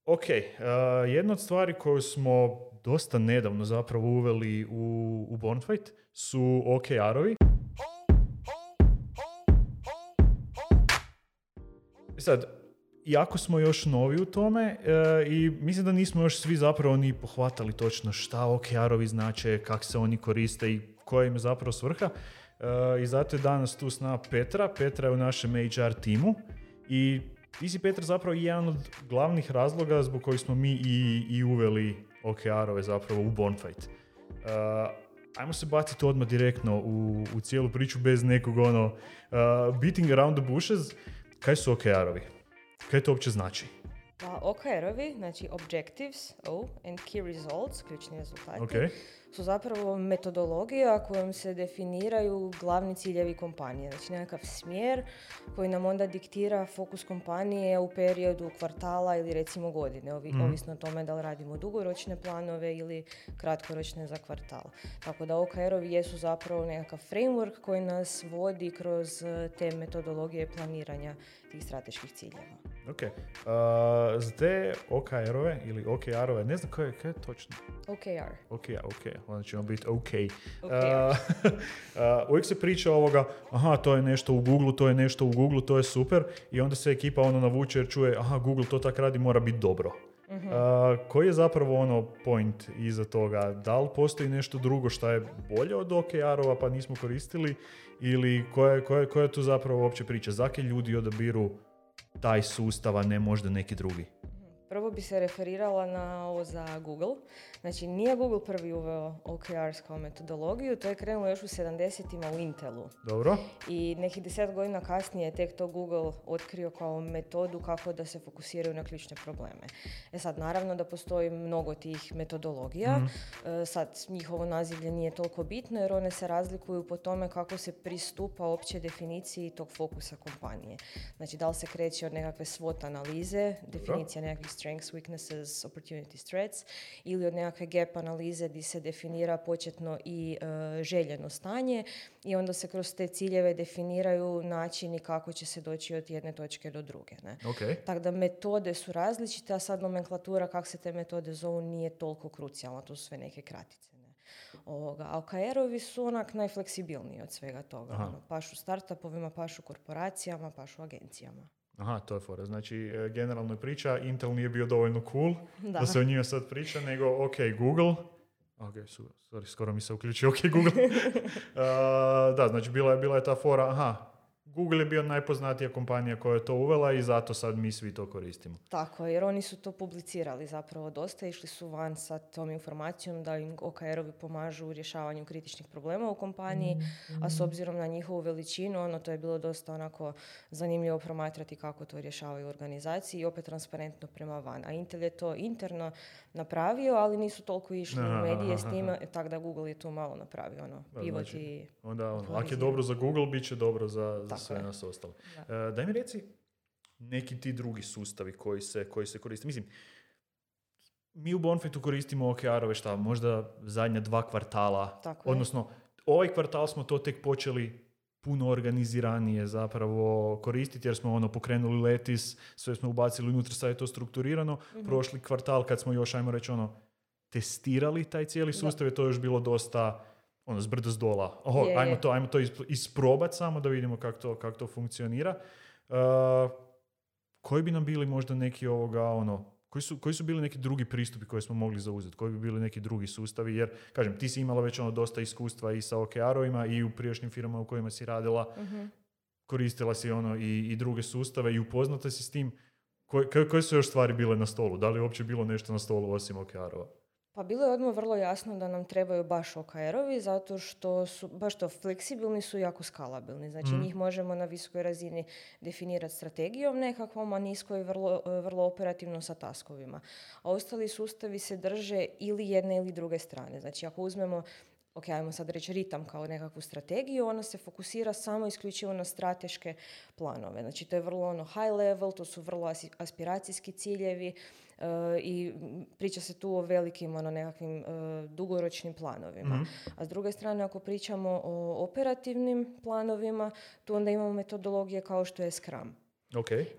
Ok, jedna od stvari koju smo dosta nedavno zapravo uveli u Bonfight su OKR-ovi. Sad, jako smo još novi u tome i mislim da nismo još svi zapravo ni pohvatali točno šta OKR-ovi znače, kako se oni koriste i koja im je zapravo svrha. I zato je danas tu s nama Petra. Petra je u našem HR timu i ti si, Petra, zapravo jedan od glavnih razloga zbog kojih smo mi i uveli OKR-ove zapravo u Bonfight. Ajmo se baciti odmah direktno u cijelu priču bez nekog beating around the bushes. Kaj su OKR-ovi? Kaj to uopće znači? Pa OKR-ovi, znači Objectives, and Key Results, ključni rezultati, Okay. su zapravo metodologija kojom se definiraju glavni ciljevi kompanije. Znači nekakav smjer koji nam onda diktira fokus kompanije u periodu kvartala ili recimo godine, ovisno o tome da li radimo dugoročne planove ili kratkoročne za kvartal. Tako da OKR-ovi jesu zapravo nekakav framework koji nas vodi kroz te metodologije planiranja tih strateških ciljeva. Ok. Za te OKR-ove ili OKR-ove, ne znam kaj je točno. OKR. Ok, onda ćemo biti ok. OKR. Uvijek se priča ovoga, to je nešto u Google, to je super, i onda se ekipa navuče jer čuje, Google to tak radi, mora biti dobro. Koji je zapravo point iza toga? Da li postoji nešto drugo što je bolje od OKR-ova pa nismo koristili, ili koja je tu zapravo uopće priča? Zake ljudi odabiru taj sustav, a ne možda neki drugi? Prvo bi se referirala na ovo za Google. Znači, nije Google prvi uveo OKRs kao metodologiju, to je krenulo još u 70-ima u Intelu. Dobro. I nekih 10 godina kasnije je tek to Google otkrio kao metodu kako da se fokusiraju na ključne probleme. Sad, naravno da postoji mnogo tih metodologija. Sad, njihovo nazivlje nije toliko bitno jer one se razlikuju po tome kako se pristupa opće definiciji tog fokusa kompanije. Znači, da li se kreće od nekakve SWOT analize, definicija nekakvih strengths, weaknesses, opportunities, threats, ili od nekakve gap analize gdje se definira početno i željeno stanje i onda se kroz te ciljeve definiraju načini kako će se doći od jedne točke do druge. Ne? Okay. Tako da metode su različite, a sad nomenklatura kako se te metode zovu nije toliko krucijalna, to su sve neke kratice. Ne? A OKR-ovi su onak najfleksibilniji od svega toga. Pašu startupovima, pašu korporacijama, pašu agencijama. To je fora. Znači, generalno je priča, Intel nije bio dovoljno cool da se o njima sad priča, nego ok, Google. Skoro mi se uključio Google. Znači bila je ta fora, Google je bio najpoznatija kompanija koja je to uvela i zato sad mi svi to koristimo. Tako, jer oni su to publicirali zapravo dosta, išli su van sa tom informacijom da im OKR-ovi pomažu u rješavanju kritičnih problema u kompaniji, a s obzirom na njihovu veličinu, to je bilo dosta onako zanimljivo promatrati kako to rješavaju u organizaciji i opet transparentno prema van. A Intel je to interno napravio, ali nisu toliko išli u medije s time, tako da Google je tu malo napravio, pivot i... Onda, ako je dobro za Google, bit će dobro za sve nas ostale. Daj mi reci neki ti drugi sustavi koji se koriste. Mislim, mi u Bonfightu koristimo OKR-ove možda zadnja 2 kvartala. Odnosno, ovaj kvartal smo to tek počeli puno organiziranije zapravo koristiti jer smo pokrenuli Letis, sve smo ubacili unutra, sad je to strukturirano. Prošli kvartal kad smo još, ajmo reći, testirali taj cijeli sustav, je to još bilo dosta zbrda zdola. Ajmo to isprobati samo da vidimo kako to funkcionira. Koji bi nam bili možda neki koji su bili neki drugi pristupi koje smo mogli zauzeti? Koji bi bili neki drugi sustavi? Jer, kažem, ti si imala već dosta iskustva i sa OKR-ovima i u prijašnjim firmama u kojima si radila. Koristila si i druge sustave i upoznata si s tim. Koje su još stvari bile na stolu? Da li je uopće bilo nešto na stolu osim OKR-ova? Pa bilo je odmah vrlo jasno da nam trebaju baš OKR-ovi zato što su baš to fleksibilni su i jako skalabilni. Znači njih možemo na visokoj razini definirati strategijom nekakvom, a niskoj vrlo operativno sa taskovima. A ostali sustavi se drže ili jedne ili druge strane. Znači ako uzmemo ajmo sad reći ritam kao nekakvu strategiju, ona se fokusira samo isključivo na strateške planove. Znači to je vrlo high level, to su vrlo aspiracijski ciljevi i priča se tu o velikim nekakvim dugoročnim planovima. A s druge strane, ako pričamo o operativnim planovima, tu onda imamo metodologije kao što je Scrum.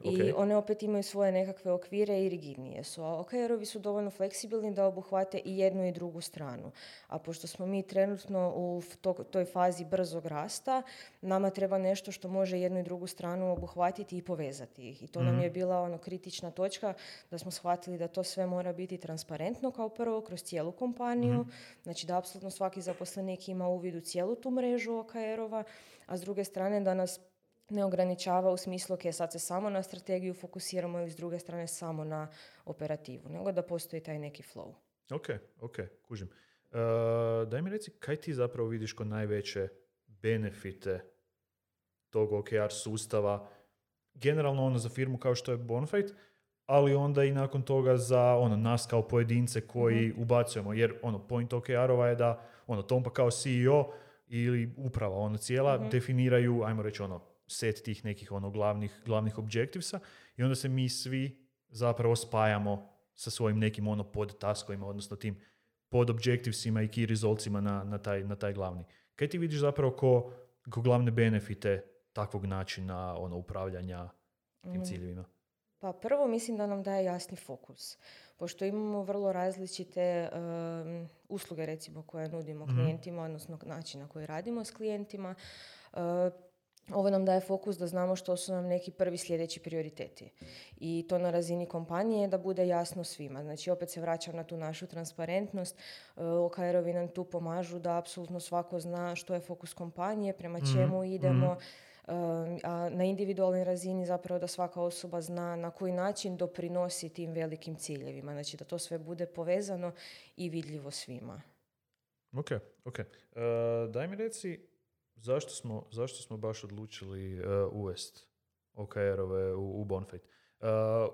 I one opet imaju svoje nekakve okvire i rigidnije su. A OKR-ovi su dovoljno fleksibilni da obuhvate i jednu i drugu stranu. A pošto smo mi trenutno u toj fazi brzog rasta, nama treba nešto što može jednu i drugu stranu obuhvatiti i povezati ih. I to nam je bila kritična točka da smo shvatili da to sve mora biti transparentno kao prvo kroz cijelu kompaniju. Znači da apsolutno svaki zaposlenik ima uvid u cijelu tu mrežu OKR-ova, a s druge strane da nas ne ograničava u smislu sad se samo na strategiju fokusiramo ili s druge strane samo na operativu, nego da postoji taj neki flow. Ok, kužim. Daj mi reci, kaj ti zapravo vidiš kod najveće benefite tog OKR sustava, generalno za firmu kao što je Bonfide, ali onda i nakon toga za nas kao pojedince koji ubacujemo, jer point OKR-ova je da Tompa kao CEO ili uprava cijela definiraju, ajmo reći set tih nekih glavnih objectivesa i onda se mi svi zapravo spajamo sa svojim nekim podtaskovima, odnosno tim podobjectivesima i key resultsima na taj glavni. Kaj ti vidiš zapravo ko glavne benefite takvog načina upravljanja tim ciljevima? Pa prvo mislim da nam daje jasni fokus. Pošto imamo vrlo različite usluge recimo koje nudimo klijentima, odnosno način na koji radimo s klijentima, ovo nam daje fokus da znamo što su nam neki prvi sljedeći prioriteti. I to na razini kompanije da bude jasno svima. Znači opet se vraćam na tu našu transparentnost. OKR-ovi nam tu pomažu da apsolutno svako zna što je fokus kompanije, prema čemu idemo, a na individualnoj razini zapravo da svaka osoba zna na koji način doprinosi tim velikim ciljevima. Znači da to sve bude povezano i vidljivo svima. Ok. Daj mi reci, zašto smo baš odlučili uvesti OKR-ove u Bonfide?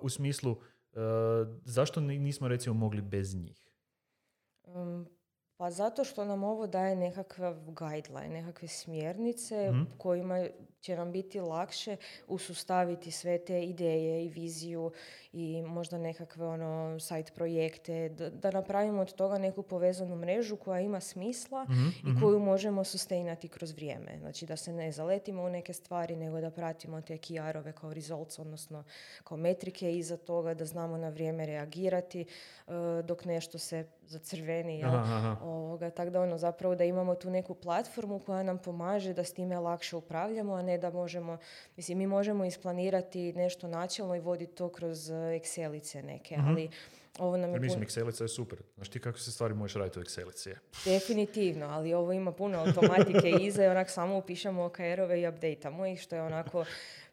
U smislu, zašto nismo recimo mogli bez njih? Pa zato što nam ovo daje nekakav guideline, nekakve smjernice kojima će nam biti lakše usustaviti sve te ideje i viziju i možda nekakve side projekte, da napravimo od toga neku povezanu mrežu koja ima smisla i koju možemo sustainati kroz vrijeme. Znači da se ne zaletimo u neke stvari, nego da pratimo te KR-ove kao results, odnosno kao metrike iza toga, da znamo na vrijeme reagirati dok nešto se zacrveni. Tako da zapravo da imamo tu neku platformu koja nam pomaže da s time lakše upravljamo, a ne da možemo, mi možemo isplanirati nešto načelno i voditi to kroz Excelice neke, ali ovo nam je... Excelica je super. Znaš ti kako se stvari možeš raditi u Excelici? Definitivno, ali ovo ima puno automatike iza i samo upišemo OKR-ove i updateamo ih, što je onako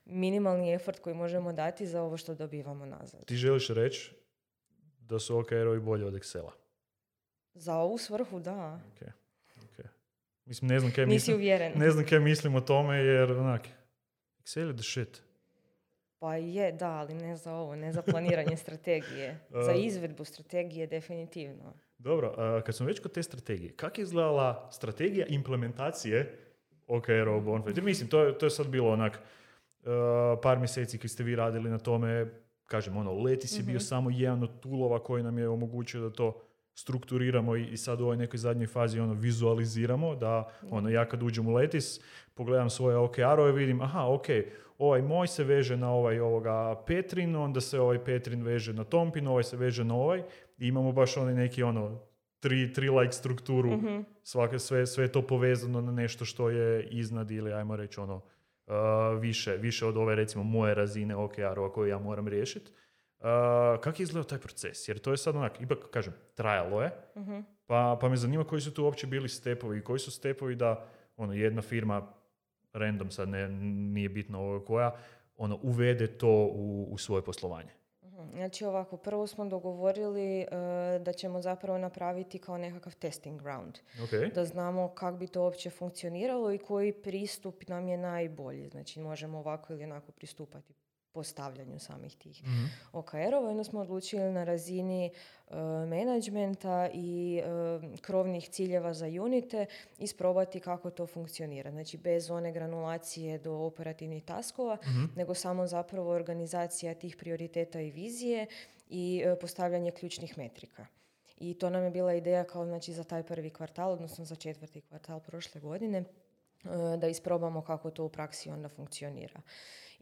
minimalni effort koji možemo dati za ovo što dobivamo nazad. Ti želiš reći da su OKR-ovi bolji od Excela? Za ovu svrhu, da. Okay. Mislim, ne znam kaj mislim o tome, jer Excel je the shit. Pa je, da, ali ne za ovo, ne za planiranje strategije. Za izvedbu strategije, definitivno. Dobro, kad smo već kod te strategije, kako je izgledala strategija implementacije OKR-a u Bonfide? Mislim, to je sad bilo par mjeseci kad ste vi radili na tome, kažem, Letis je bio samo jedan od toolova koji nam je omogućio da to strukturiramo i sad u ovoj nekoj zadnjoj fazi vizualiziramo, da ja kad uđem u Letis, pogledam svoje OKR-ove, vidim, ovaj moj se veže na ovoga Petrin, onda se ovaj Petrin veže na Tompin, ovaj se veže na ovaj i imamo baš neki tri like strukturu, sve je to povezano na nešto što je iznad ili ajmo reći više od ove recimo moje razine OKR-ova koju ja moram riješiti. Kako je izgledao taj proces? Jer to je sad ipak kažem, trajalo je, pa me zanima koji su tu uopće bili stepovi, koji su stepovi da jedna firma, random sad nije bitno koja, uvede to u svoje poslovanje. Znači ovako, prvo smo dogovorili da ćemo zapravo napraviti kao nekakav testing ground. Da znamo kako bi to uopće funkcioniralo i koji pristup nam je najbolji. Znači možemo ovako ili onako pristupati postavljanju samih tih OKR-ova. Onda smo odlučili na razini menadžmenta i krovnih ciljeva za unite isprobati kako to funkcionira. Znači bez one granulacije do operativnih taskova, nego samo zapravo organizacija tih prioriteta i vizije i postavljanje ključnih metrika. I to nam je bila ideja kao za taj prvi kvartal, odnosno za 4. kvartal prošle godine, da isprobamo kako to u praksi onda funkcionira.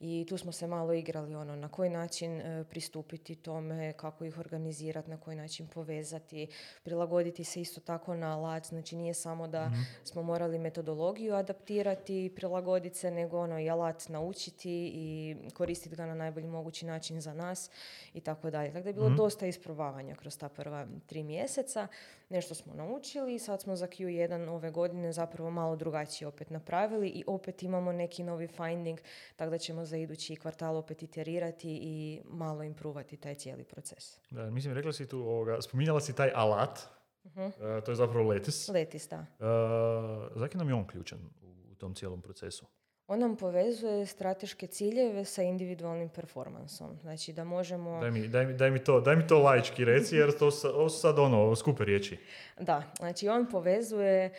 I tu smo se malo igrali na koji način pristupiti tome, kako ih organizirati, na koji način povezati, prilagoditi se isto tako na alat. Znači nije samo da smo morali metodologiju adaptirati i prilagoditi se, nego i alat naučiti i koristiti ga na najbolji mogući način za nas i tako dalje. Tako da je bilo dosta isprobavanja kroz ta prva 3 mjeseca. Nešto smo naučili i sad smo za Q1 ove godine zapravo malo drugačije opet napravili i opet imamo neki novi finding, tako da ćemo za idući kvartal opet iterirati i malo improvati taj cijeli proces. Da, mislim, rekla si tu, spominjala si taj alat, to je zapravo Lattice. Lattice, da. Zaki nam je on ključan u tom cijelom procesu? On nam povezuje strateške ciljeve sa individualnim performansom. Znači da možemo... Daj mi to laički reci, jer ovo su sad skupe riječi. Da, znači on povezuje,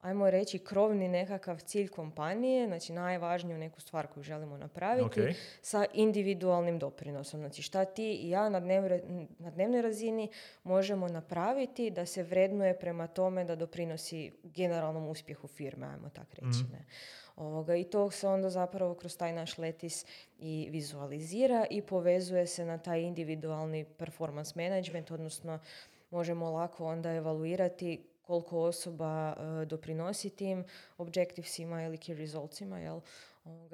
ajmo reći, krovni nekakav cilj kompanije, znači najvažniju neku stvar koju želimo napraviti, sa individualnim doprinosom. Znači šta ti i ja na dnevnoj razini možemo napraviti da se vrednuje prema tome da doprinosi generalnom uspjehu firme, ajmo tak reći. Ne? I to se onda zapravo kroz taj naš Lattice i vizualizira i povezuje se na taj individualni performance management, odnosno možemo lako onda evaluirati koliko osoba doprinosi tim objectivesima ili key resultsima, jel?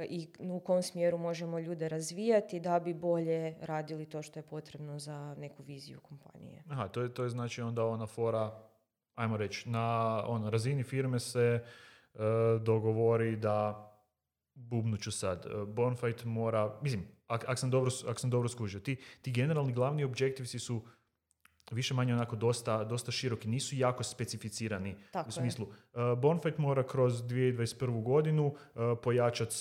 I u kom smjeru možemo ljude razvijati da bi bolje radili to što je potrebno za neku viziju kompanije. Aha, to je znači onda ona fora, ajmo reći, na razini firme se dogovori da, bubnuću sad, Bonfite mora, mislim, ako sam dobro skužio, ti generalni glavni objectivesi su više manje onako dosta široki, nisu jako specificirani. Tako u smislu, Bonfite mora kroz 2021. godinu pojačati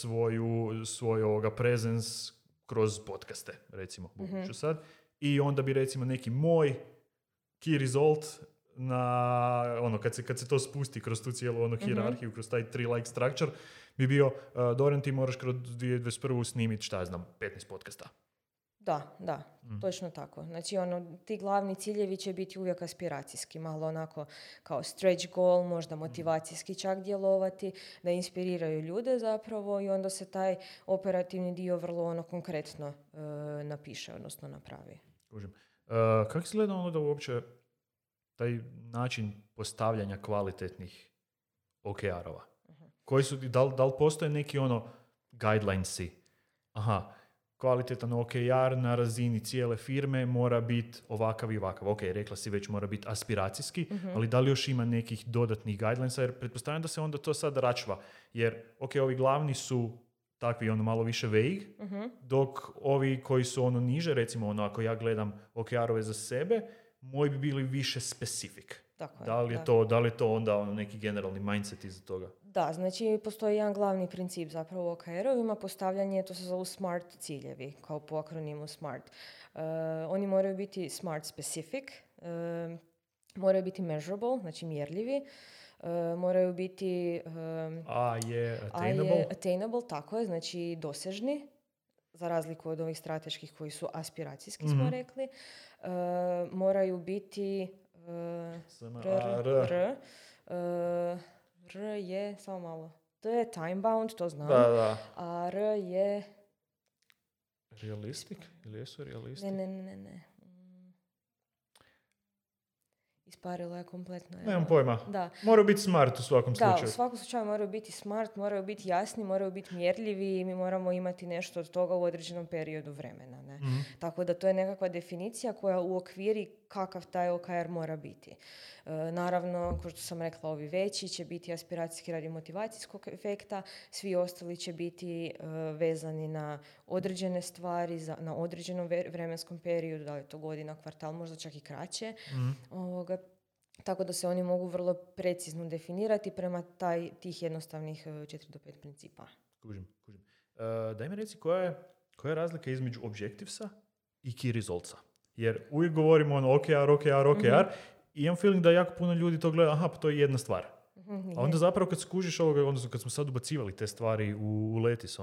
svoj presence kroz podcaste, recimo, bubnuću sad. I onda bi, recimo, neki moj key result na kad se to spusti kroz tu cijelu hijerarhiju, kroz taj 3-like structure, bi bio Dorian, ti moraš kroz 2021. snimiti, 15 podcasta. Da, točno tako. Znači, ti glavni ciljevi će biti uvijek aspiracijski, malo onako kao stretch goal, možda motivacijski čak djelovati, da inspiriraju ljude zapravo i onda se taj operativni dio vrlo konkretno napiše, odnosno napravi. Kako se gleda da uopće taj način postavljanja kvalitetnih OKR-ova? Koji su, da li postoje neki guidelinesi? Kvalitetan OKR na razini cijele firme mora biti ovakav i ovakav. Ok, rekla si već mora biti aspiracijski, ali da li još ima nekih dodatnih guidelinesa? Jer pretpostavljam da se onda to sad račva. Jer, ovi glavni su takvi malo više vague, dok ovi koji su niže, recimo ako ja gledam OKR-ove za sebe, moji bi bili više specific. Da li je to onda neki generalni mindset iza toga? Da, znači postoji jedan glavni princip zapravo u OKR-ovima, postavljanje, to se zovu SMART ciljevi, kao po akronimu SMART. Oni moraju biti SMART specific, moraju biti measurable, znači mjerljivi, moraju biti attainable, tako je, znači dosežni, za razliku od ovih strateških koji su aspiracijski, smo rekli. Moraju biti R je, samo malo, T je time bound, to znam, a R je... Realistic? Ili jesu realistic? Ne. Isparilo je kompletno. Nemam pojma. Da. Moraju biti smart u svakom slučaju. Da, u svakom slučaju moraju biti smart, moraju biti jasni, moraju biti mjerljivi i mi moramo imati nešto od toga u određenom periodu vremena. Ne? Tako da to je nekakva definicija koja uokviri kakav taj OKR mora biti. Naravno, kao što sam rekla, ovi veći će biti aspiracijski radi motivacijskog efekta, svi ostali će biti vezani na određene stvari, na određenom vremenskom periodu, da li je to godina, kvartal, možda čak i kraće. Tako da se oni mogu vrlo precizno definirati prema tih jednostavnih 4 do 5 principa. Kužim. Daj mi reci koja je razlika između objectivesa i key resultsa? Jer uvijek govorimo OKR, i imam feeling da jako puno ljudi to gleda, pa to je jedna stvar. A onda zapravo kad skužiš ovoga, odnosno kad smo sad ubacivali te stvari u Lattice,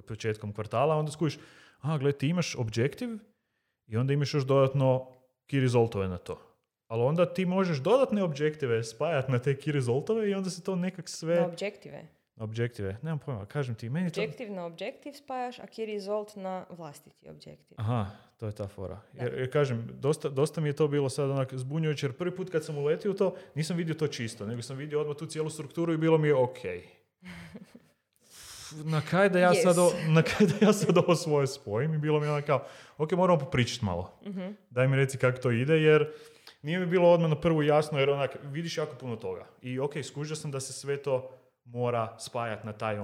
početkom kvartala, onda skužiš, gledaj, ti imaš objective i onda imaš još dodatno key resultove na to. Ali onda ti možeš dodatne objektive spajati na te key resultove i onda se to nekak sve... Na objektive? Objektive, nemam pojma, kažem ti, meni to... Objektiv na objektiv spajaš, a key result na vlastiti objektiv. Aha, to je ta fora. Jer kažem, dosta mi je to bilo sad onak zbunjujuće, jer prvi put kad sam uletio u to, nisam vidio to čisto, nego sam vidio odmah tu cijelu strukturu i bilo mi je okej. Na kaj da ja sad ovo svoje spojim i bilo mi je ono kao, ok, moramo popričati malo. Daj mi reci kako to ide, jer nije mi bilo odmah na prvu jasno, jer onak, vidiš jako puno toga. I ok, skužio sam da se sve to mora spajati na taj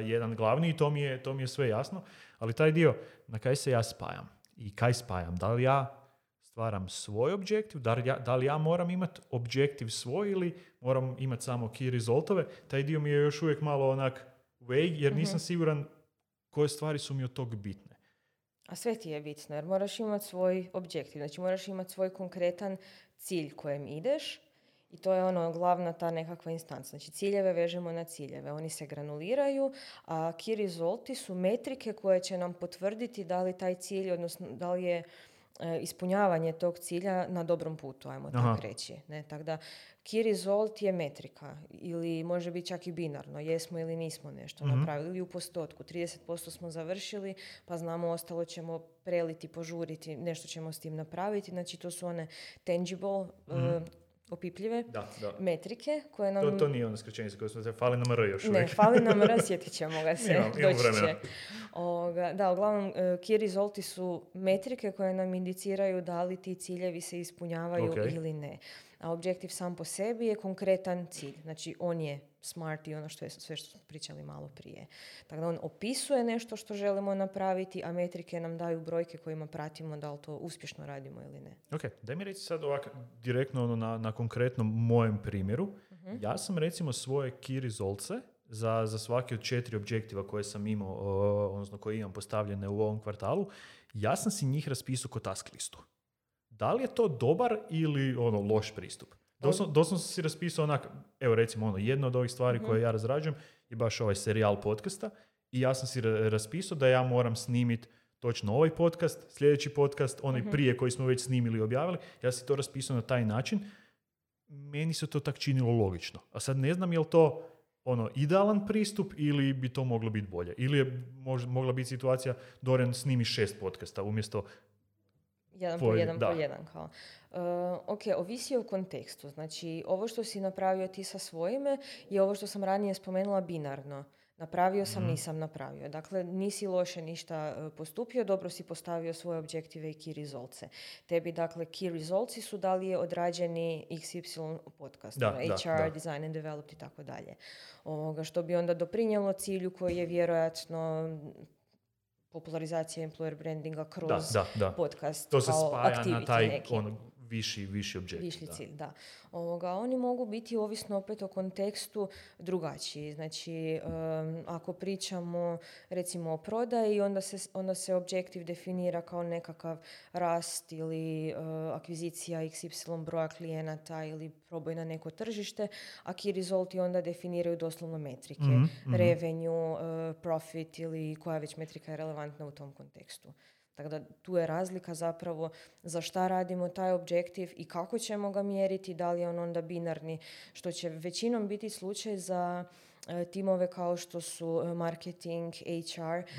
jedan glavni i to mi je sve jasno, ali taj dio, na kaj se ja spajam i kaj spajam, da li ja stvaram svoj objektiv, da li ja moram imati objektiv svoj ili moram imati samo key resultove, taj dio mi je još uvijek malo onak vague, jer nisam siguran koje stvari su mi od tog bitne. A sve ti je bitno, jer moraš imati svoj objektiv, znači moraš imati svoj konkretan cilj kojem ideš. I to je glavna ta nekakva instanca. Znači ciljeve vežemo na ciljeve. Oni se granuliraju, a key resulti su metrike koje će nam potvrditi da li taj cilj, odnosno da li je ispunjavanje tog cilja na dobrom putu, ajmo tako reći. Ne? Tako da key result je metrika ili može biti čak i binarno. Jesmo ili nismo nešto napravili ili u postotku. 30% smo završili, pa znamo ostalo ćemo preliti, požuriti, nešto ćemo s tim napraviti. Znači to su one tangible opipljive metrike koje nam... To nije ono skraćenica koje smo se fali nam R još uvijek. Ne, fali nam R, sjetit ćemo ga se. Imam vremena. Da, uglavnom, key resulti su metrike koje nam indiciraju da li ti ciljevi se ispunjavaju ili ne. A objektiv sam po sebi je konkretan cilj. Znači, on je smart i ono što je sve što smo pričali malo prije. Tako da on opisuje nešto što želimo napraviti, a metrike nam daju brojke kojima pratimo da li to uspješno radimo ili ne. Ok, daj mi reći sad ovako direktno na konkretnom mojem primjeru. Ja sam recimo svoje key resultse za svaki od 4 objektiva koje sam imao, odnosno koje imam postavljene u ovom kvartalu, ja sam si njih raspisao ko task listu. Da li je to dobar ili loš pristup? Doslovno sam si raspisao onak, evo recimo jedna od ovih stvari koje ja razrađujem je baš ovaj serijal podcasta i ja sam si raspisao da ja moram snimiti točno ovaj podcast, sljedeći podcast, onaj prije koji smo već snimili i objavili, ja si to raspisao na taj način. Meni se to tak činilo logično. A sad ne znam je li to idealan pristup ili bi to moglo biti bolje. Ili je mogla biti situacija Dorian snimi 6 podcasta umjesto jedan po jedan kao. Ok, ovisi o kontekstu. Znači, ovo što si napravio ti sa svojime je ovo što sam ranije spomenula binarno. Napravio sam, nisam napravio. Dakle, nisi loše ništa postupio, dobro si postavio svoje objektive i key resultse. Tebi, dakle, key resultsi su da li je odrađeni XY podcast, HR, design and developed i tako dalje. Što bi onda doprinijelo cilju koji je vjerojatno popularizacija employer brandinga kroz podcast. To se spaja na taj viši objekt. Viši cilj, da. Oni mogu biti ovisno opet o kontekstu drugačiji. Znači, ako pričamo recimo o prodaji, onda se objektiv definira kao nekakav rast ili akvizicija XY broja klijenata ili proboj na neko tržište, a key resulti onda definiraju doslovno metrike. Revenue, profit ili koja već metrika je relevantna u tom kontekstu. Tako da tu je razlika zapravo za šta radimo taj objektiv i kako ćemo ga mjeriti, da li je on onda binarni, što će većinom biti slučaj za timove kao što su marketing, HR,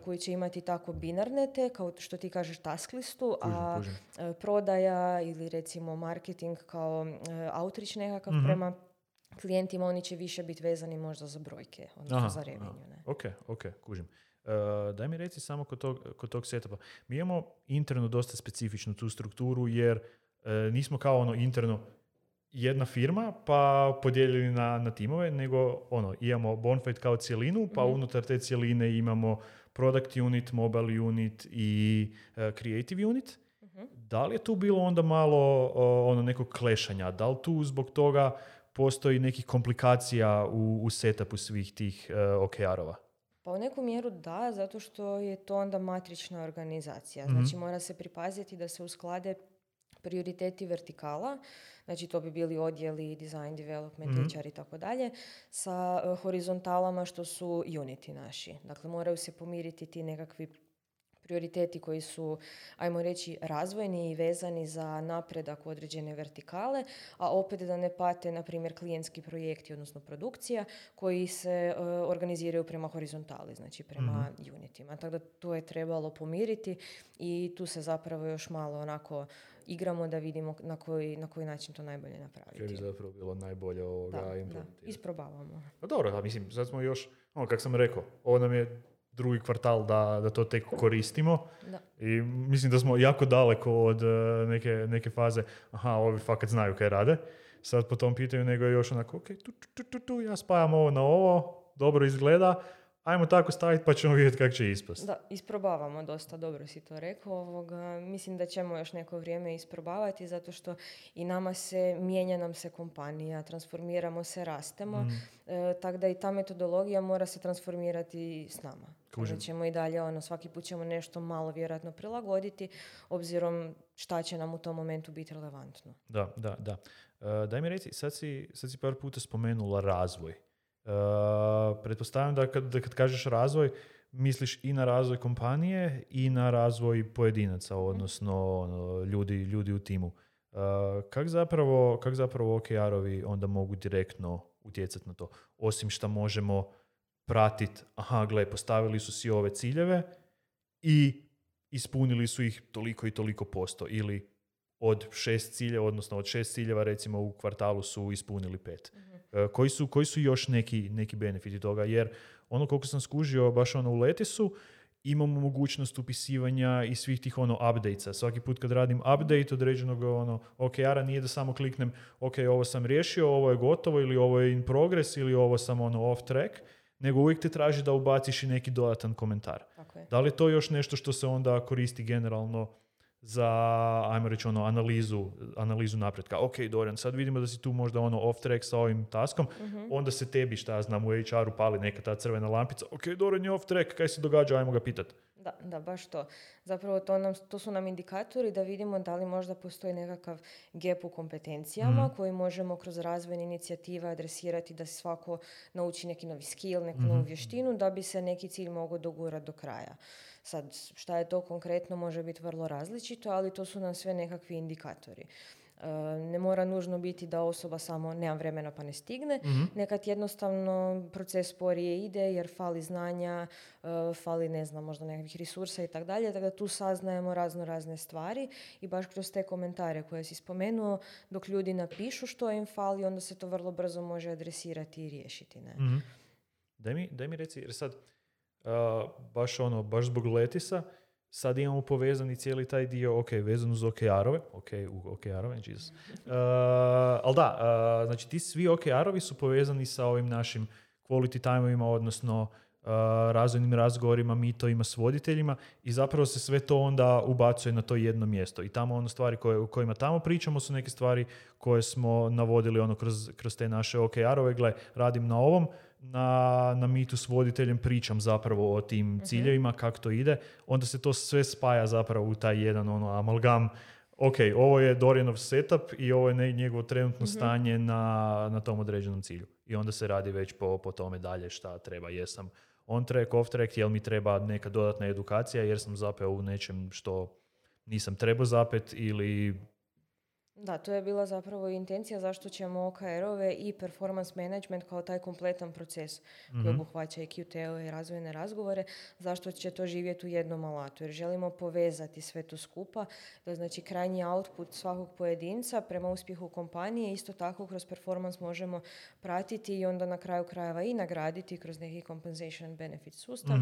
koji će imati tako binarne kao što ti kažeš task listu, a prodaja ili recimo marketing kao outreach nekakav prema klijentima, oni će više biti vezani možda za brojke, odnosno za revenue. Ne? Ok, kužim. Daj mi reci samo kod tog setupa. Mi imamo interno dosta specifičnu tu strukturu jer nismo kao interno jedna firma pa podijeljeni na timove, nego imamo Bonfide kao cijelinu, pa unutar te cijeline imamo product unit, mobile unit i creative unit. Da li je tu bilo onda malo nekog klešanja? Da li tu zbog toga postoji nekih komplikacija u setupu svih tih OKR-ova? Pa u neku mjeru da, zato što je to onda matrična organizacija. Znači mora se pripaziti da se usklade prioriteti vertikala, znači to bi bili odjeli, design, development, HR i tako dalje, sa horizontalama što su uniti naši. Dakle, moraju se pomiriti ti nekakvi prioriteti koji su, ajmo reći, razvojni i vezani za napredak u određene vertikale, a opet da ne pate, na primjer, klijentski projekti, odnosno produkcija, koji se organiziraju prema horizontali, znači prema unitima. Tako da to je trebalo pomiriti i tu se zapravo još malo onako igramo da vidimo na koji način to najbolje napraviti. Kaj bi zapravo bilo najbolje implementirati. Da, isprobavamo. Pa dobro, da, mislim, sad smo još, kako sam rekao, ovo nam je drugi kvartal da to tek koristimo. Da. I mislim da smo jako daleko od neke faze, ovi fakat znaju kaj rade. Sad po tom pitanju, nego je još onako, ok, ja spajam ovo na ovo, dobro izgleda, ajmo tako staviti pa ćemo vidjeti kako će ispasti. Da, isprobavamo dosta, dobro si to rekao. Mislim da ćemo još neko vrijeme isprobavati, zato što i mijenja nam se kompanija, transformiramo se, rastemo, tako da i ta metodologija mora se transformirati s nama. Da ćemo i dalje, svaki put ćemo nešto malo vjerojatno prilagoditi, obzirom šta će nam u tom momentu biti relevantno. Da. Daj mi reci, sad si par puta spomenula razvoj. Pretpostavljam da kad kažeš razvoj, misliš i na razvoj kompanije i na razvoj pojedinaca, odnosno ljudi u timu. Kak zapravo OKR-ovi onda mogu direktno utjecati na to? Osim što možemo pratiti, postavili su si ove ciljeve i ispunili su ih toliko i toliko posto, ili od 6 ciljeva, odnosno od 6 ciljeva recimo u kvartalu su ispunili 5. Koji su još neki benefiti toga? Jer koliko sam skužio baš u Letisu, imamo mogućnost upisivanja i svih tih updatesa. Svaki put kad radim update određenog OKR-a, nije da samo kliknem ok, ovo sam riješio, ovo je gotovo, ili ovo je in progress, ili ovo sam off track, nego uvijek te traži da ubaciš i neki dodatan komentar. Okay. Da li je to još nešto što se onda koristi generalno za, ajmo reći, analizu napretka? Ok, Dorian, sad vidimo da si tu možda off track sa ovim taskom, onda se tebi, šta ja znam, u HR-u pali neka ta crvena lampica, ok, Dorian je off track, kaj se događa, ajmo ga pitati. Da, baš to. Zapravo to su nam indikatori da vidimo da li možda postoji nekakav gap u kompetencijama koji možemo kroz razvojne inicijative adresirati da se svako nauči neki novi skill, neku novu vještinu, da bi se neki cilj mogao dogurati do kraja. Sad, šta je to konkretno, može biti vrlo različito, ali to su nam sve nekakvi indikatori. Ne mora nužno biti da osoba samo nema vremena pa ne stigne. Nekad jednostavno proces sporije ide jer fali znanja, fali, ne znam, možda nekakvih resursa i tako dalje. Tako da tu saznajemo razne stvari i baš kroz te komentare koje si spomenuo, dok ljudi napišu što im fali, onda se to vrlo brzo može adresirati i riješiti. Ne? Daj mi reci, jer sad baš zbog Letisa sad imamo povezani cijeli taj dio, vezan uz OKR-ove, OKR-ove, Jesus. Ali da, znači ti svi OKR-ovi su povezani sa ovim našim quality time-ovima, odnosno razvojnim razgovorima, mitovima s voditeljima, i zapravo se sve to onda ubacuje na to jedno mjesto. I tamo stvari o kojima tamo pričamo su neke stvari koje smo navodili kroz te naše OKR-ove. Gle, radim na ovom, na mitu s voditeljem pričam zapravo o tim ciljevima, kako to ide, onda se to sve spaja zapravo u taj jedan amalgam. Ok, ovo je Dorianov setup i ovo je njegovo trenutno stanje na tom određenom cilju. I onda se radi već po tome dalje šta treba. Jesam on track, off track, jel mi treba neka dodatna edukacija jer sam zapeo u nečem što nisam trebao zapet, ili... Da, to je bila zapravo intencija zašto ćemo OKR-ove i performance management kao taj kompletan proces koji obuhvaća i QTO i razvojne razgovore, zašto će to živjeti u jednom alatu. Jer želimo povezati sve to skupa, da znači krajnji output svakog pojedinca prema uspjehu kompanije isto tako kroz performance možemo pratiti i onda na kraju krajeva i nagraditi kroz neki compensation benefit sustav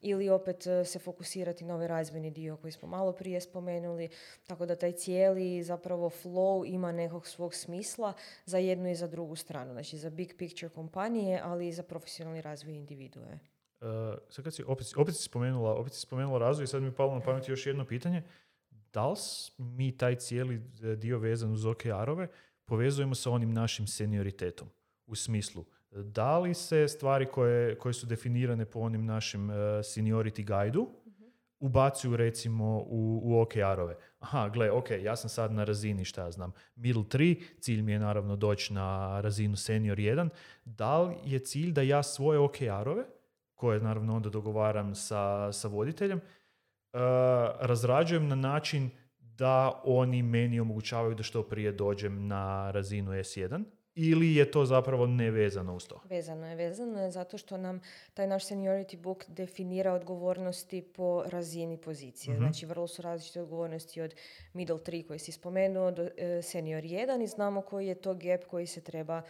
ili opet se fokusirati na ovaj razvojni dio koji smo malo prije spomenuli, tako da taj cijeli zapravo flow ima nekog svog smisla za jednu i za drugu stranu. Znači za big picture kompanije, ali i za profesionalni razvoj individue. Sad kad si opet si spomenula razvoj, sad mi je palo na pamet još jedno pitanje. Da li mi taj cijeli dio vezan uz OKR-ove povezujemo sa onim našim senioritetom? U smislu, da li se stvari koje su definirane po onim našim seniority guide-u ubacuju recimo u OKR-ove. Ja sam sad na razini, šta ja znam, middle 3, cilj mi je naravno doći na razinu senior 1. Da li je cilj da ja svoje OKR-ove, koje naravno onda dogovaram sa voditeljem, razrađujem na način da oni meni omogućavaju da što prije dođem na razinu S1, ili je to zapravo nevezano uz to? Vezano je zato što nam taj naš seniority book definira odgovornosti po razini pozicije. Znači, vrlo su različite odgovornosti od middle 3 koji si spomenuo do senior 1 i znamo koji je to gap koji se treba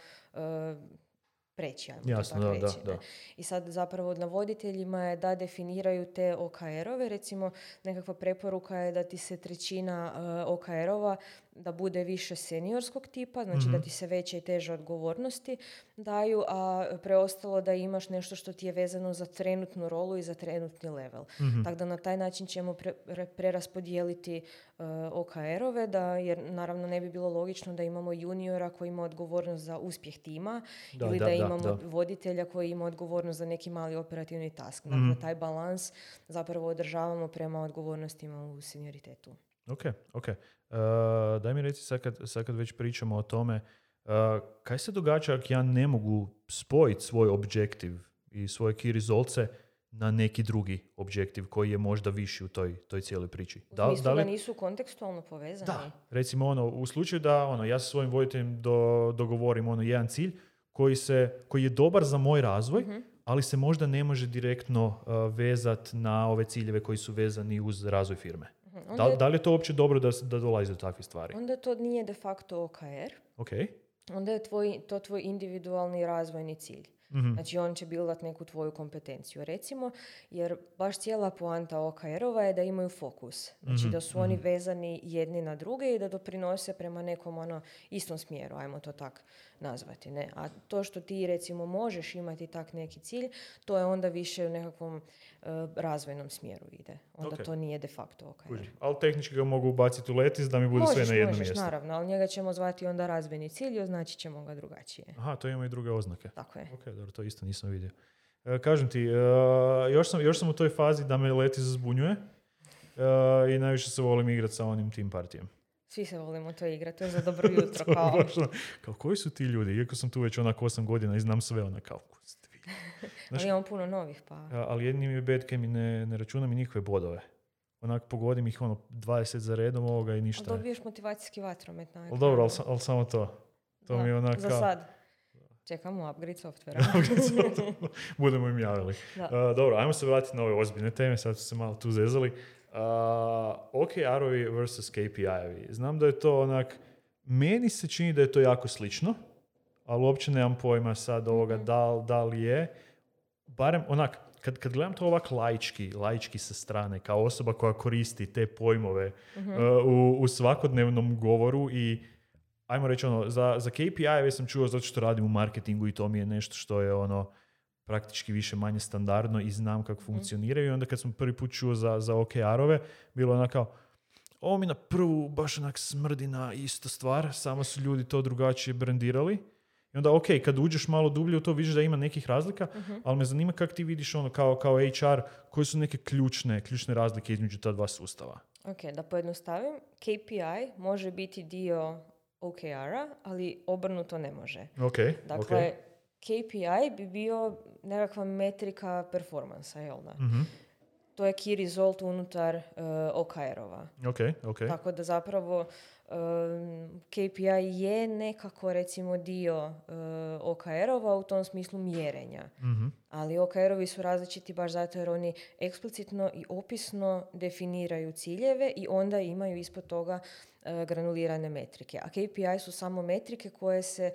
preći, Jasno, da. I sad zapravo na voditeljima je da definiraju te OKR-ove. Recimo, nekakva preporuka je da ti se 1/3 OKR-ova da bude više seniorskog tipa, znači da ti se veće i teže odgovornosti daju, a preostalo da imaš nešto što ti je vezano za trenutnu rolu i za trenutni level. Tako da na taj način ćemo preraspodijeliti OKR-ove, jer naravno ne bi bilo logično da imamo juniora koji ima odgovornost za uspjeh tima ili da imamo voditelja koji ima odgovornost za neki mali operativni task. Dakle, taj balans zapravo održavamo prema odgovornostima u senioritetu. Ok. Daj mi reci, sad kad već pričamo o tome, kaj se događa ako ja ne mogu spojiti svoj objektiv i svoje key resultse na neki drugi objektiv koji je možda viši u toj cijeloj priči? U smislu da nisu kontekstualno povezani? Da, recimo u slučaju da ja sa svojim voditeljem dogovorim jedan cilj koji je dobar za moj razvoj, ali se možda ne može direktno vezati na ove ciljeve koji su vezani uz razvoj firme. Da li je to uopće dobro da dolazi do takvih stvari? Onda to nije de facto OKR. Okay. Onda je to tvoj individualni razvojni cilj. Znači on će bildat neku tvoju kompetenciju, recimo, jer baš cijela poanta OKR-ova je da imaju fokus. Znači da su oni vezani jedni na druge i da doprinose prema nekom istom smjeru, ajmo to tak nazvati. Ne? A to što ti recimo možeš imati tak neki cilj, to je onda više u nekakvom razvojnom smjeru ide. Onda to nije de facto OKR. Ali tehnički ga mogu ubaciti u Letis da mi bude sve na jedno mjesto. Naravno, ali njega ćemo zvati onda razvojni cilj i označit ćemo ga drugačije. Aha, to ima i druge oznake. Tako je. Ok, dobro, to isto nisam vidio. Kažem ti, još sam u toj fazi da me Letis zbunjuje i najviše se volim igrati sa onim team partijem. Svi se volimo to igrati, to je za dobro jutro. Kao koji su ti ljudi? Iako sam tu već 8 godina i znam sve kao ali imamo puno novih, pa... Ali jedni mi bad game i ne računam i njihove bodove. Pogodim ih 20 za redom ovoga i ništa. Ali dobiješ motivacijski vatromet. Ali dobro, ali samo to. To mi je za sad. Čekamo upgrade softvera. Budemo im javili. Dobro, ajmo se vratiti na ove ozbiljne teme, sad su se malo tu zezali. OKR-ovi versus KPI-ovi. Znam da je to meni se čini da je to jako slično, ali uopće nemam pojma sad ovoga da li je. Barem kad gledam to laički sa strane, kao osoba koja koristi te pojmove u svakodnevnom govoru i ajmo reći za KPI-eve sam čuo zato što radim u marketingu i to mi je nešto što je praktički više manje standardno i znam kako funkcioniraju. I onda kad sam prvi put čuo za OKR-ove, bilo kao ovo mi na prvu baš smrdi na istu stvar, samo su ljudi to drugačije brandirali. I onda kad uđeš malo dublje u to vidiš da ima nekih razlika, ali me zanima kako ti vidiš kao HR, koje su neke ključne razlike između ta dva sustava. Ok, da pojednostavim, KPI može biti dio OKR-a, ali obrnuto ne može. Dakle, KPI bi bio nekakva metrika performansa, jel da? To je key result unutar OKR-ova. Tako da zapravo KPI je nekako recimo dio OKR-ova u tom smislu mjerenja. Ali OKR-ovi su različiti baš zato jer oni eksplicitno i opisno definiraju ciljeve i onda imaju ispod toga granulirane metrike. A KPI su samo metrike koje se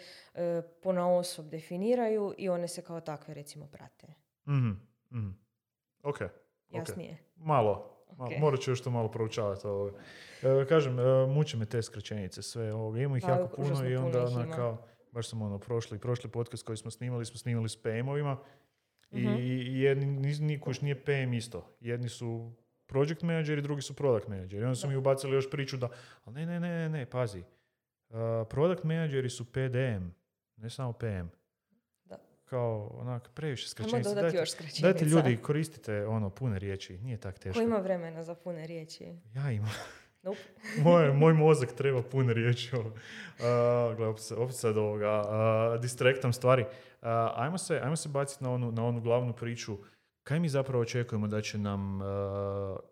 ponaosob definiraju i one se kao takve recimo prate. Ok. Jasnije? Malo. Morat ću još to malo proučavati. Kažem, muče me te skraćenice sve. Imamo ih jako puno i onda kao, baš sam prošli podcast koji smo snimali s PM-ovima i jedni nije PM isto. Jedni su project menadžeri, drugi su product menadžeri. I onda su mi ubacili još priču da, ali ne, pazi. Product menadžeri su PDM, ne samo PM. Kao, previše skraćenica. Dajte ljudi, koristite pune riječi, nije tak teško. Ko ima vremena za pune riječi? Ja imam. Nope. moj mozak treba pune riječi. Opet sad distraktam stvari. Ajmo se baciti na onu glavnu priču. kaj mi zapravo očekujemo da će nam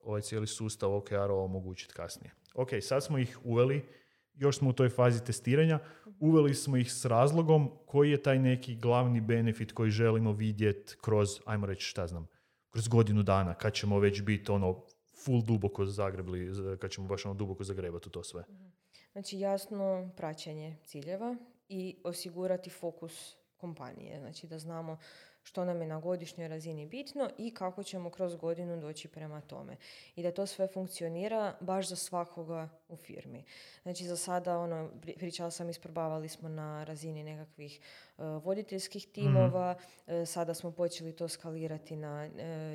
ovaj cijeli sustav OKR-ova omogućiti kasnije? Ok, sad smo ih uveli, još smo u toj fazi testiranja, uveli smo ih s razlogom koji je taj neki glavni benefit koji želimo vidjeti kroz, ajmo reći, šta znam, kroz godinu dana, kad ćemo već biti full duboko zagrebli, kad ćemo baš duboko zagrebati u to sve. Znači jasno praćenje ciljeva i osigurati fokus kompanije. Znači da znamo što nam je na godišnjoj razini bitno i kako ćemo kroz godinu doći prema tome. I da to sve funkcionira baš za svakoga u firmi. Znači za sada, pričala sam, isprobavali smo na razini nekakvih voditeljskih timova, sada smo počeli to skalirati na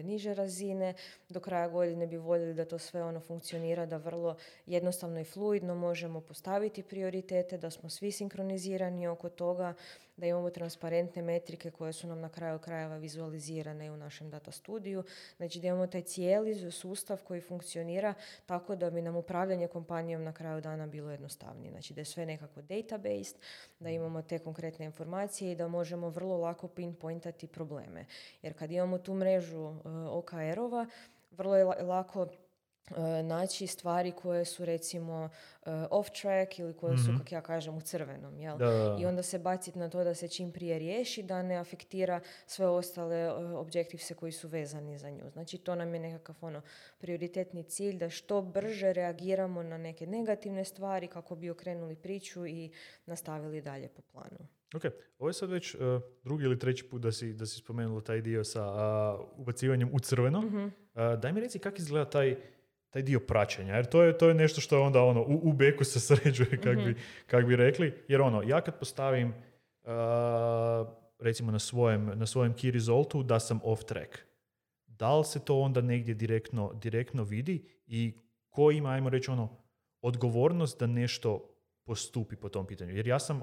niže razine. Do kraja godine bi voljeli da to sve funkcionira, da vrlo jednostavno i fluidno možemo postaviti prioritete, da smo svi sinkronizirani oko toga, da imamo transparentne metrike koje su nam na kraju krajeva vizualizirane u našem data studiju. Znači da imamo taj cijeli sustav koji funkcionira tako da bi nam upravljanje kompanijom na kraju dana bilo jednostavnije. Znači da je sve nekako database, da imamo te konkretne informacije i da možemo vrlo lako pinpointati probleme. Jer kad imamo tu mrežu OKR-ova, vrlo je lako naći stvari koje su recimo off track ili koje su, kako ja kažem, u crvenom. Jel? Da. I onda se baciti na to da se čim prije riješi, da ne afektira sve ostale objektivse koji su vezani za nju. Znači to nam je nekakav prioritetni cilj, da što brže reagiramo na neke negativne stvari kako bi okrenuli priču i nastavili dalje po planu. Ok, ovo je sad već drugi ili treći put da si spomenula taj dio sa ubacivanjem u crveno. Daj mi reci kako izgleda taj dio praćenja, jer to je nešto što onda u beku se sređuje, kak bi rekli. Jer ja kad postavim recimo na svojem key resultu da sam off track, da li se to onda negdje direktno vidi i ko ima, ajmo reći, odgovornost da nešto postupi po tom pitanju. Jer ja sam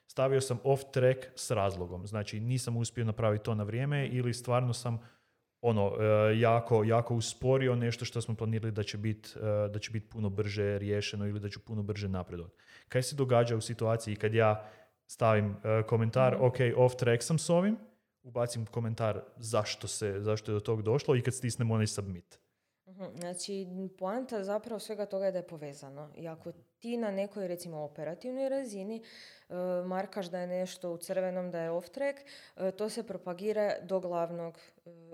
stavio sam off track s razlogom. Znači nisam uspio napraviti to na vrijeme ili stvarno sam jako usporio nešto što smo planirali da će biti puno brže riješeno ili da ću puno brže napredovati. Kaj se događa u situaciji kad ja stavim komentar, ok, off track sam s ovim, ubacim komentar zašto je do tog došlo i kad stisnem onaj submit. Znači, poanta zapravo svega toga je da je povezano. I ako ti na nekoj, recimo, operativnoj razini markaš da je nešto u crvenom, da je off track, to se propagira do glavnog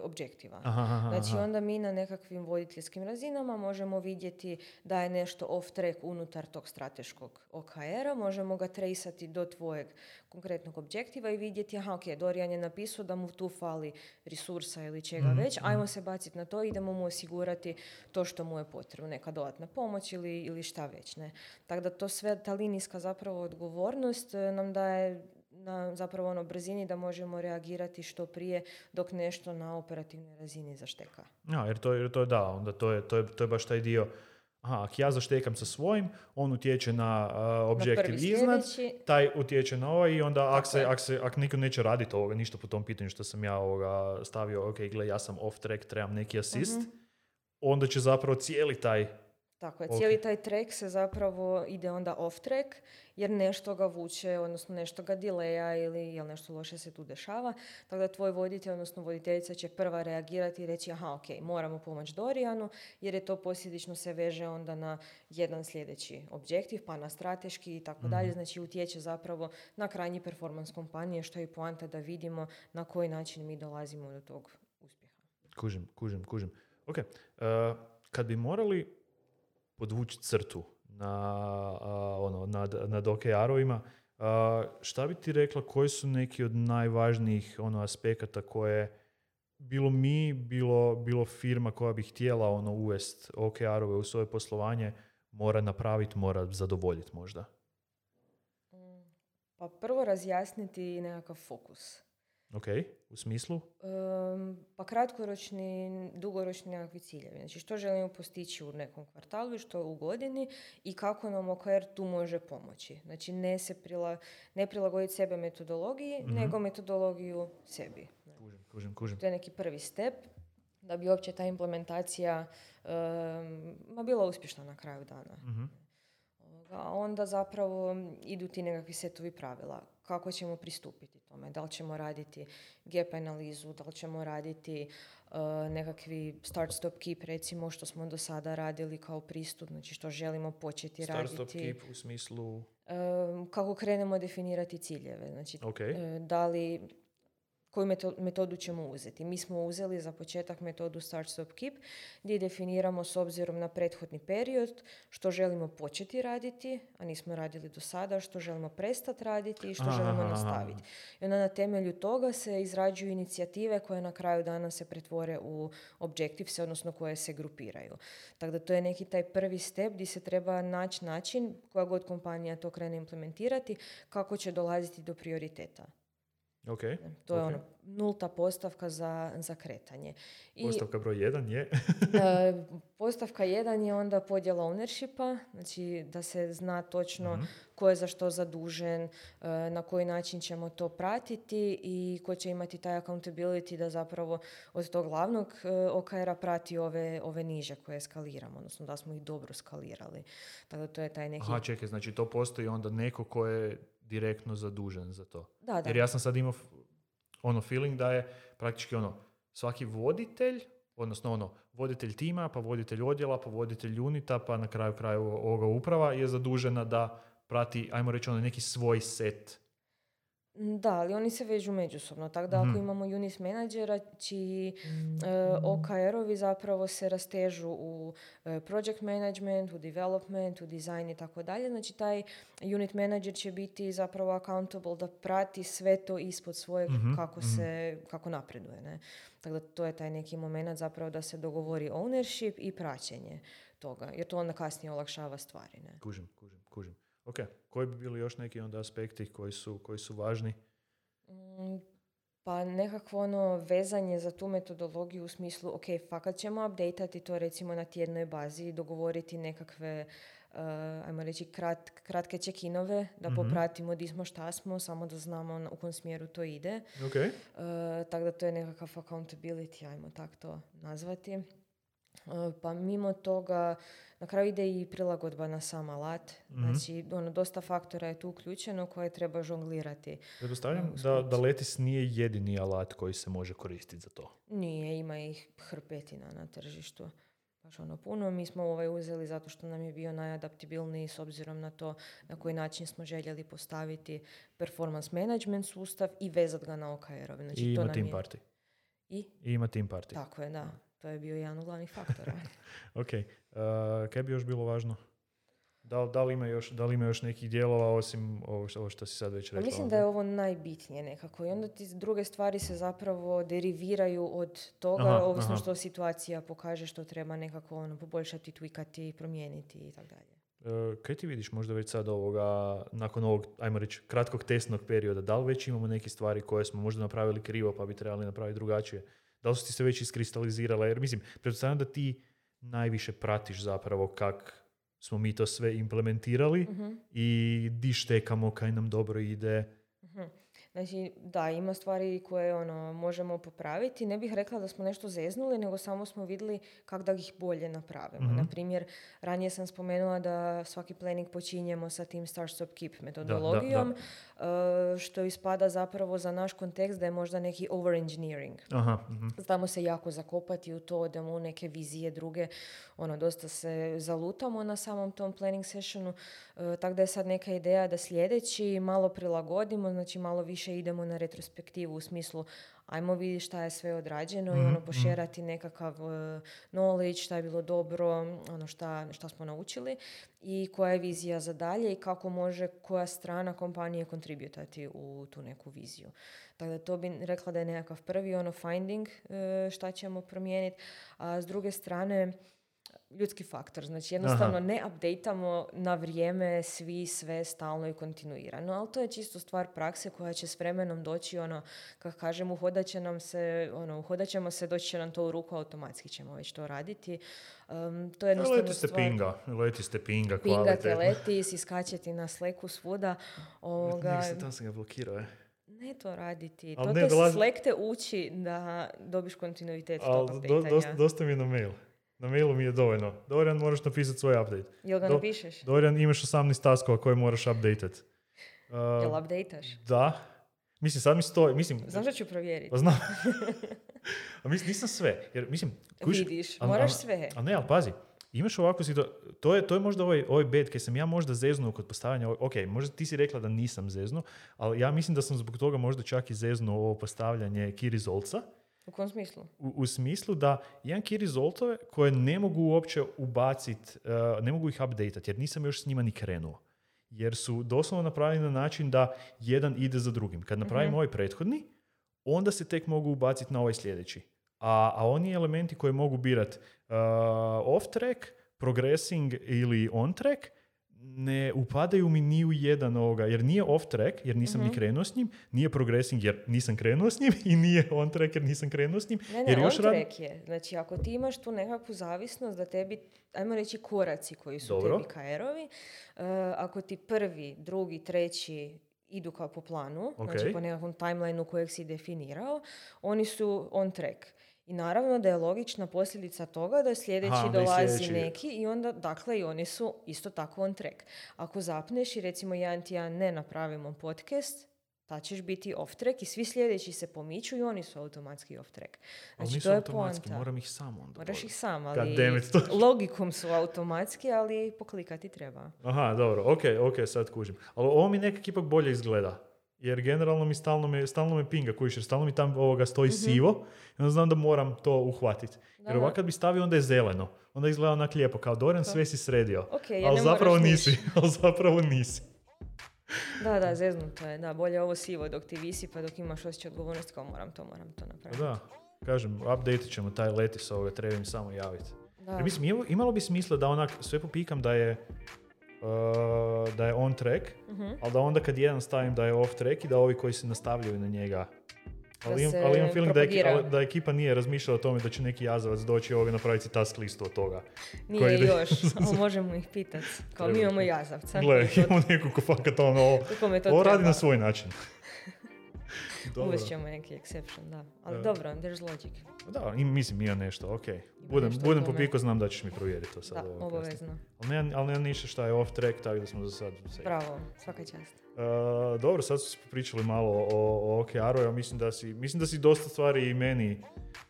objektiva. Znači, onda mi na nekakvim voditeljskim razinama možemo vidjeti da je nešto off track unutar tog strateškog OKR-a, možemo ga traceati do tvojeg konkretnog objektiva i vidjeti, Dorijan je napisao da mu tu fali resursa ili čega već, ajmo se baciti na to i idemo mu osigurati to što mu je potrebno, neka dodatna pomoć ili šta već, ne. Tako da to sve, ta linijska zapravo odgovornost nam daje na zapravo brzini da možemo reagirati što prije dok nešto na operativnoj razini zašteka. Jer to je da, onda to je baš taj dio. Ako ja zaštekam sa svojim, on utječe na objektiv iznad, taj utječe na ovaj i onda ako niko neće raditi ništa po tom pitanju što sam ja stavio, ok, gle, ja sam off track, trebam neki assist, onda će zapravo cijeli taj... Tako je, cijeli taj track se zapravo ide onda off track, jer nešto ga vuče, odnosno nešto ga dileja ili nešto loše se tu dešava. Tako da tvoj voditelj, odnosno voditeljica će prva reagirati i reći ok, moramo pomoći Dorijanu, jer je to posljedično se veže onda na jedan sljedeći objektiv, pa na strateški i tako dalje. Znači utječe zapravo na krajnji performans kompanije, što je i poanta da vidimo na koji način mi dolazimo do tog uspjeha. Kužim. Ok, kad bi morali podvući crtu nad OKR-ovima, šta bi ti rekla, koji su neki od najvažnijih aspekata koje bilo mi, bilo firma koja bi htjela uvesti OKR-ove u svoje poslovanje mora napraviti, mora zadovoljiti možda? Pa prvo razjasniti nekakav fokus. Ok, u smislu? Pa kratkoročni, dugoročni nekakvi ciljevi. Znači što želimo postići u nekom kvartalu i što u godini i kako nam OKR tu može pomoći. Znači ne prilagoditi sebe metodologiji, nego metodologiju sebi. Kužim. To je neki prvi step da bi uopće ta implementacija bila uspješna na kraju dana. A onda zapravo idu ti nekakvi setovi pravila. Kako ćemo pristupiti tome? Da li ćemo raditi gap analizu, da li ćemo raditi nekakvi start, stop, keep, recimo, što smo do sada radili kao pristup, znači što želimo početi raditi. Start, stop, keep u smislu... Kako krenemo definirati ciljeve. Znači, da li... Koju metodu ćemo uzeti? Mi smo uzeli za početak metodu Start, Stop, Keep, gdje definiramo s obzirom na prethodni period što želimo početi raditi, a nismo radili do sada, što želimo prestati raditi i što želimo nastaviti. I onda na temelju toga se izrađuju inicijative koje na kraju dana se pretvore u objectives, odnosno koje se grupiraju. Tako da to je neki taj prvi step gdje se treba naći način, koja god kompanija to krene implementirati, kako će dolaziti do prioriteta. Okay. To je ono, nulta postavka za kretanje. Postavka broj 1 je? Postavka 1 je onda podjela ownershipa, znači da se zna točno ko je za što zadužen, na koji način ćemo to pratiti i ko će imati taj accountability da zapravo od tog glavnog OKR-a prati ove niže koje skaliramo, odnosno da smo ih dobro skalirali. Tako da to je taj neki... Aha, čekaj, znači to postoji onda neko ko je direktno zadužen za to. Da. Jer ja sam sad imao feeling da je praktički svaki voditelj, odnosno voditelj tima, pa voditelj odjela, pa voditelj unita, pa na kraju ovoga uprava je zadužena da prati, ajmo reći, neki svoj set. Da, ali oni se vežu međusobno. Tako da ako imamo unit menadžera čiji OKR-ovi zapravo se rastežu u project management, u development, u design i tako dalje. Znači taj unit manager će biti zapravo accountable da prati sve to ispod svojeg kako napreduje. Ne? Tako da to je taj neki moment zapravo da se dogovori ownership i praćenje toga. Jer to onda kasnije olakšava stvari. Ne? Kužim. Ok, koji bi bili još neki onda aspekti koji su važni? Pa nekakvo vezanje za tu metodologiju u smislu, ok, fakat ćemo updateati to recimo na tjednoj bazi i dogovoriti nekakve, ajmo reći, kratke check-inove, da popratimo di smo, šta smo, samo da znamo u kom smjeru to ide. Okay. Tako da to je nekakav accountability, ajmo tako to nazvati. Pa mimo toga, na kraju ide i prilagodba na sam alat. Znači, dosta faktora je tu uključeno koje treba žonglirati. Pretpostavljam da Letis nije jedini alat koji se može koristiti za to. Nije, ima ih hrpetina na tržištu. Baš puno. Mi smo uzeli zato što nam je bio najadaptibilniji s obzirom na to na koji način smo željeli postaviti performance management sustav i vezati ga na OKR-ove. Znači, I ima team party. I ima team party. Tako je, da. To je bio jedan od glavnih faktora. Ok. Kaj bi još bilo važno? Da li ima još nekih dijelova osim ovo što si sad već rekla? Mislim da je ovo najbitnije nekako. I onda ti druge stvari se zapravo deriviraju od toga, ovisno što situacija pokaže, što treba nekako poboljšati, tweakati, promijeniti i tako dalje. Kaj ti vidiš možda već sad nakon ovog, ajmo reći, kratkog testnog perioda? Da li već imamo neke stvari koje smo možda napravili krivo pa bi trebali napraviti drugačije? Da li su ti se već iskristalizirala? Jer mislim, pretpostavljam da ti najviše pratiš zapravo kak smo mi to sve implementirali i di štekamo, kaj nam dobro ide. Znači, da, ima stvari koje možemo popraviti. Ne bih rekla da smo nešto zeznuli, nego samo smo vidjeli kako da ih bolje napravimo. Naprimjer, ranije sam spomenula da svaki planning počinjemo sa tim Start, Stop, Keep metodologijom, što ispada zapravo za naš kontekst da je možda neki over-engineering. Znamo se jako zakopati u to, da mu neke vizije druge, dosta se zalutamo na samom tom planning sessionu, tako da je sad neka ideja da sljedeći malo prilagodimo, znači malo više idemo na retrospektivu u smislu ajmo vidjeti šta je sve odrađeno i pošerati nekakav knowledge, šta je bilo dobro, šta smo naučili i koja je vizija za dalje i kako može koja strana kompanije kontributati u tu neku viziju. Tako da to bi rekla da je nekakav prvi finding šta ćemo promijeniti, a s druge strane ljudski faktor. Znači jednostavno ne updateamo na vrijeme svi sve stalno i kontinuirano, ali to je čisto stvar prakse koja će s vremenom doći, kako kažem, uhodat ćemo se, doći će nam to u ruku, automatski ćemo već to raditi. To je jednostavno leti ste pinga kvalitetno. Leti, iskačeti na Slacku svuda. Tam sam ga blokirao, Ne to raditi. Slack te uči da dobiš kontinuitet tog updateanja. Dosta mi je na mail. Na mailu mi je dovoljno. Dorian, moraš napisati svoj update. Jel ga napišeš? Dorian, imaš 18 taskova koje moraš updateat. Jel updateš? Da. Mislim, sad mi stoji... Znam što ću provjeriti. Pa znam. A mislim, nisam sve. Jer, mislim... Vidiš, moraš sve. Ali ne, ali pazi. Imaš ovako to je možda ovaj bed kad sam ja možda zeznuo kod postavljanja, ok, možda ti si rekla da nisam zeznuo, ali ja mislim da sam zbog toga možda čak i zeznuo ovo postavljanje key resultsa. U kom smislu? U smislu da imam key resultove koje ne mogu uopće ubaciti, ne mogu ih updateati jer nisam još s njima ni krenuo. Jer su doslovno napravljeni na način da jedan ide za drugim. Kad napravim ovaj prethodni, onda se tek mogu ubaciti na ovaj sljedeći. A oni elementi koje mogu birati off-track, progressing ili on-track, ne upadaju mi ni u jedan ovoga, jer nije off-track, jer nisam ni krenuo s njim, nije progressing, jer nisam krenuo s njim i nije on-track, jer nisam krenuo s njim. Ne, on-track je. Znači, ako ti imaš tu nekakvu zavisnost da tebi, ajmo reći, koraci koji su tebi KR-ovi, ako ti prvi, drugi, treći idu kao po planu, znači po nekakvom timelineu kojeg si definirao, oni su on-track. I naravno da je logična posljedica toga da sljedeći dolazi neki i onda, dakle, i oni su isto tako on track. Ako zapneš i recimo jedan tjedan ne napravimo podcast, ta ćeš biti off track i svi sljedeći se pomiču i oni su automatski off track. Znači, nisu to je automatski, poanta. moram ih sam onda. Moraš ih sam, ali logikom su automatski, ali poklikati treba. Aha, dobro, ok, sad kužim. Ali ovo mi nekak ipak bolje izgleda. Jer generalno mi stalno me pinga, kužiš, jer stalno mi tam stoji sivo i onda znam da moram to uhvatiti. Jer ovako kad bi stavio, onda je zeleno. Onda izgleda onak lijepo, kao Doran, sve si sredio. Ali zapravo nisi. Da, zeznuto je. Da, bolje ovo sivo dok ti visi, pa dok imaš osjećaj odgovornosti, kao moram to napraviti. Da, kažem, update ćemo taj letis ovoga, treba im samo javiti. Jer mislim, imalo bi smisla da onak sve popikam da je on track, ali da onda kad jedan stavim da je off track i da ovi koji se nastavljaju na njega. Ali imam feeling da ekipa nije razmišljala o tome da će neki jazavac doći ovoga napraviti task listu od toga. Nije još, ali možemo ih pitati. Kao mi imamo jazavca. Gle, imamo nekog ko fakat ovo radi na svoj način. Uvest ćemo neki exception, da. Ali dobro, there's logic. Da, mislim ima nešto, ok. Budem popiko, znam da ćeš mi provjeriti to sad. Da, obavezno. Ali nema ništa šta je off track, tako da smo za sad... Bravo, svaka čast. Dobro, sad smo pričali malo o OKR-u, ja mislim da si dosta stvari i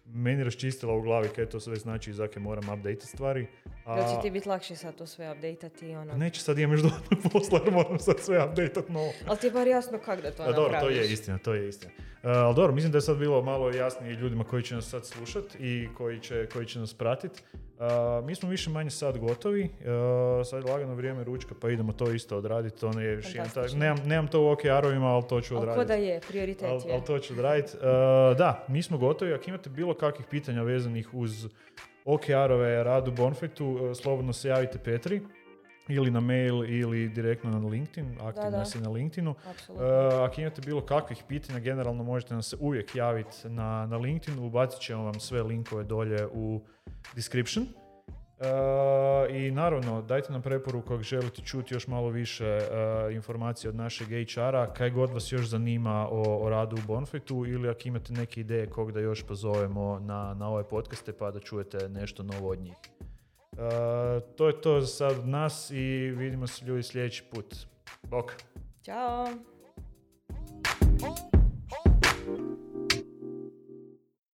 meni raščistila u glavi kaj to sve znači i zake moram update stvari. Da će ti biti lakše sad to sve update-ati? Neće, sad imam još dodatnog posla jer moram sad sve update-at novo. Ali ti je bar jasno kako da to napraviš. Dobro, to je istina. Ali dobro, mislim da je sad bilo malo jasnije ljudima koji će nas sad slušati i koji će nas pratiti. Mi smo više manje sad gotovi. Sad je lagano vrijeme ručka, pa idemo to isto odraditi. To ne je još nemam to u OKR-ovima, ali to ću odraditi. Ali ko da je, prioritet je. Ali to ću odraditi. Da, mi smo gotovi. Ako imate bilo kakvih pitanja vezanih uz OKR-ove rad u Bonfitu, slobodno se javite Petri. Ili na mail, ili direktno na LinkedIn, aktivna si na LinkedInu. Ako imate bilo kakvih pitanja, generalno možete nam se uvijek javiti na LinkedInu, ubacit ćemo vam sve linkove dolje u description. I naravno, dajte nam preporuku ako želite čuti još malo više informacije od našeg HR-a, kaj god vas još zanima o radu u Bonfitu, ili ako imate neke ideje kog da još pozovemo na ove podcaste pa da čujete nešto novo od njih. To je to za sad od nas i vidimo se ljudi sljedeći put. Bok! Ćao!